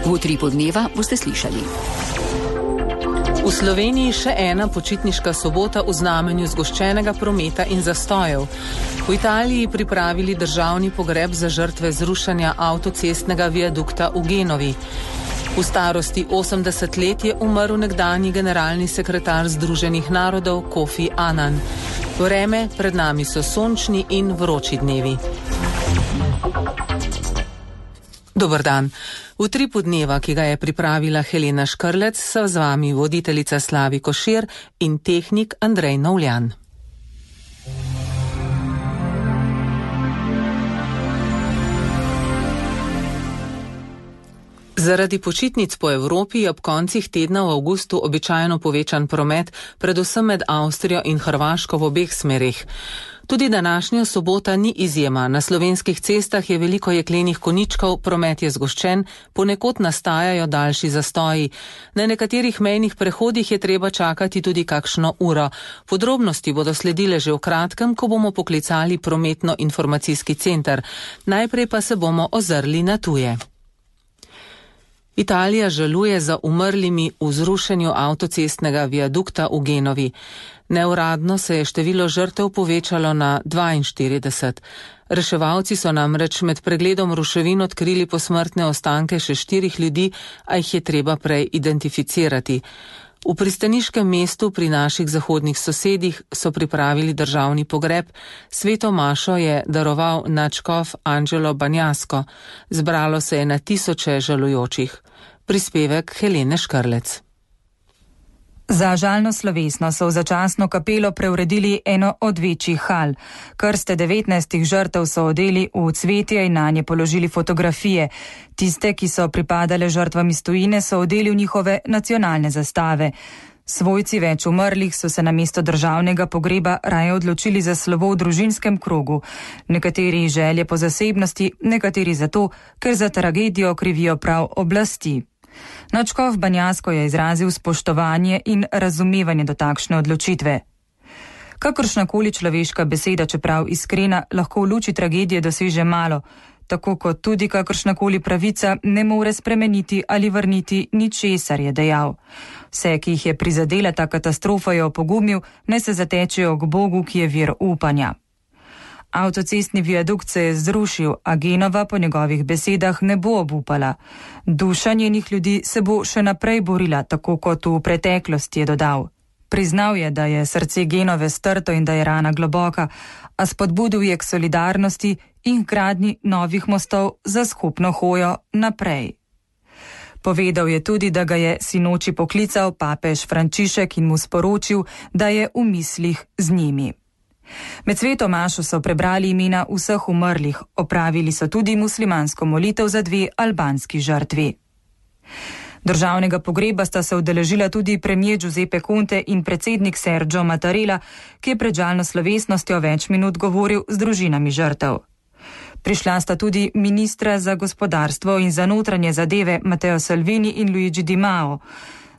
V Utripu dneva boste slišali. V Sloveniji še ena počitniška sobota v znamenju zgoščenega prometa in zastojev. V Italiji pripravili državni pogreb za žrtve zrušanja avtocestnega viadukta v Genovi. V starosti 80 let je umrl nekdanji generalni sekretar Združenih narodov Kofi Annan. Vreme pred nami so sončni in vroči dnevi. Dober dan. V Utripu dneva, ki ga je pripravila Helena Škrlec, so z vami voditeljica Slavi Košir in tehnik Andrej Novljan. Zaradi počitnic po Evropi je ob koncih tedna v avgustu običajno povečan promet, predvsem med Avstrijo in Hrvaško v obeh smerih. Tudi današnja sobota ni izjema. Na slovenskih cestah je veliko jeklenih koničkov, promet je zgoščen, ponekod nastajajo daljši zastoji. Na nekaterih mejnih prehodih je treba čakati tudi kakšno uro. Podrobnosti bodo sledile že v kratkem, ko bomo poklicali prometno-informacijski center. Najprej pa se bomo ozrli na tuje. Italija žaluje za umrlimi v zrušenju avtocestnega viadukta v Genovi. Neuradno se je število žrtev povečalo na 42. Reševalci so namreč med pregledom ruševin odkrili posmrtne ostanke še 4 ljudi, a jih je treba prej identificirati. V pristaniškem mestu pri naših zahodnih sosedih so pripravili državni pogreb. Sveto mašo je daroval nadškof Angelo Banjasko. Zbralo se je na tisoče žalujočih. Prispevek Helene Škrlec. Za žalno slovesno so v začasno kapelo preuredili eno od večjih hal. Krste 19 žrtev so odeli v cvetje in nanje položili fotografije. Tiste, ki so pripadale žrtvam iz tujine, so odeli v njihove nacionalne zastave. Svojci več umrlih so se namesto državnega pogreba raje odločili za slovo v družinskem krogu. Nekateri želje po zasebnosti, nekateri zato, ker za tragedijo krivijo prav oblasti. Nadškof Banjasko je izrazil spoštovanje in razumevanje do takšne odločitve. Kakršnakoli človeška beseda, čeprav iskrena, lahko v luči tragedije doseže malo, tako kot tudi kakršnakoli pravica ne more spremeniti ali vrniti ničesar, je dejal. Vse, ki jih je prizadela ta katastrofa, je opogumil, naj se zatečejo k Bogu, ki je vir upanja. Avtocestni viadukt se je zrušil, a Genova po njegovih besedah ne bo obupala. Duša njenih ljudi se bo še naprej borila, tako kot v preteklosti, je dodal. Priznal je, da je srce Genove strto in da je rana globoka, a spodbudil je k solidarnosti in k gradnji novih mostov za skupno hojo naprej. Povedal je tudi, da ga je sinoči poklical papež Frančišek in mu sporočil, da je v mislih z njimi. Med sveto mašo so prebrali imena vseh umrlih, opravili so tudi muslimansko molitev za 2 albanski žrtvi. Državnega pogreba sta se udeležila tudi premier Giuseppe Conte in predsednik Sergio Mattarella, ki je pred žalno slovesnostjo več minut govoril z družinami žrtev. Prišla sta tudi ministra za gospodarstvo in za notranje zadeve Matteo Salvini in Luigi Di Maio.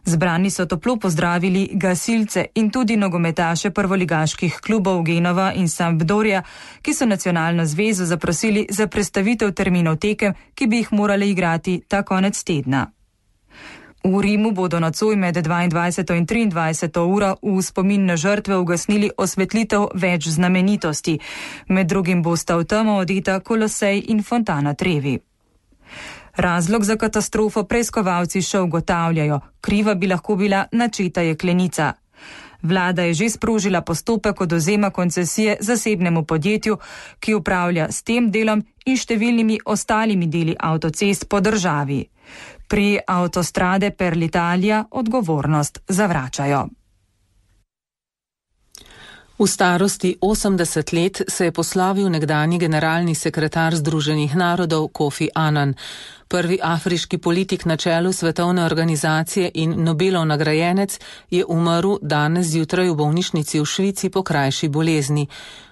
Zbrani so toplo pozdravili gasilce in tudi nogometaše prvoligaških klubov Genova in Sampdoria, ki so nacionalno zvezo zaprosili za prestavitev terminov tekem, ki bi jih morali igrati ta konec tedna. V Rimu bodo nocoj med 22. in 23. uro v spomin na žrtve ugasnili osvetlitev več znamenitosti. Med drugim bosta v temo odeta Kolosej in Fontana Trevi. Razlog za katastrofo preiskovalci še ugotavljajo, kriva bi lahko bila načeta jeklenica. Vlada je že sprožila postopek odvzema koncesije zasebnemu podjetju, ki upravlja s tem delom in številnimi ostalimi deli avtocest po državi. Pri Autostrade per l'Italia odgovornost zavračajo. V starosti 80 let se je poslavil nekdanji generalni sekretar Združenih narodov Kofi Annan. Prvi afriški politik na čelu svetovne organizacije in Nobelov nagrajenec je umrl danes zjutraj v bolnišnici v Švici po krajši bolezni.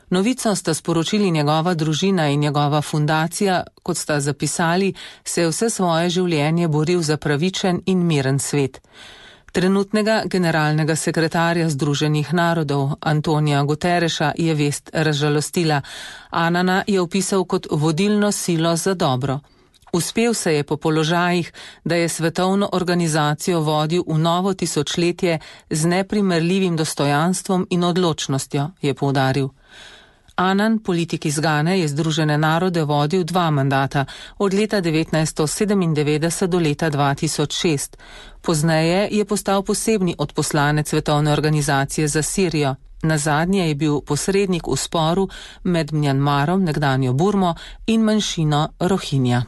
Novico sta sporočili njegova družina in njegova fundacija, kot sta zapisali, se je vse svoje življenje boril za pravičen in miren svet. Trenutnega generalnega sekretarja Združenih narodov Antonija Guterreša je vest razžalostila. Annana je opisal kot vodilno silo za dobro. Uspel se je po položajih, da je svetovno organizacijo vodil v novo tisočletje z neprimerljivim dostojanstvom in odločnostjo, je poudaril. Annan, politik iz Gane, je Združene narode vodil 2 mandata, od leta 1997 do leta 2006. Pozneje je postal posebni odposlanec svetovne organizacije za Sirijo. Nazadnje je bil posrednik v sporu med Mjanmarom, nekdanjo Burmo, in manjšino Rohingja.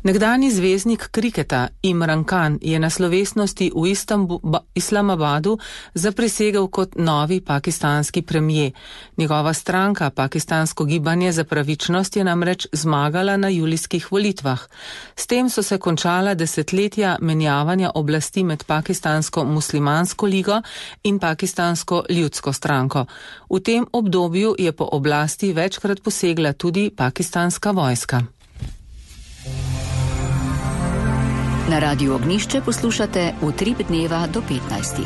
Nekdanji zvezdnik kriketa Imran Khan je na slovesnosti v Islamabadu zaprisegel kot novi pakistanski premijer. Njegova stranka, Pakistansko gibanje za pravičnost, je namreč zmagala na julijskih volitvah. S tem so se končala desetletja menjavanja oblasti med Pakistansko muslimansko ligo in Pakistansko ljudsko stranko. V tem obdobju je po oblasti večkrat posegla tudi pakistanska vojska. Na Radiu Ognjišče poslušate Utrip dneva do 15.